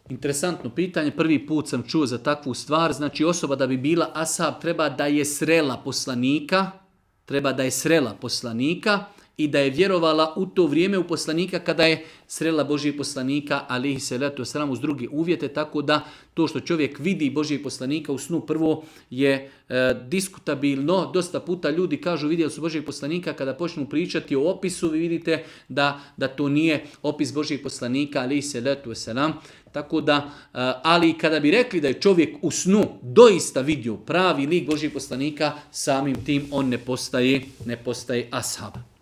Interesantno pitanje, prvi put sam čuo za takvu stvar, znači osoba da bi bila ashab treba da je srela poslanika, i da je vjerovala u to vrijeme u poslanika kada je srela Božijeg poslanika, alihi salatu wasalam, uz druge uvjete, tako da to što čovjek vidi Božijeg poslanika u snu prvo je diskutabilno. Dosta puta ljudi kažu vidjeli su Božijeg poslanika, kada počnu pričati o opisu, vi vidite da to nije opis Božijeg poslanika, alihi salatu wasalam. Tako da, ali kada bi rekli da je čovjek u snu doista vidio pravi lik Božijeg poslanika, samim tim on ne postaje ashab.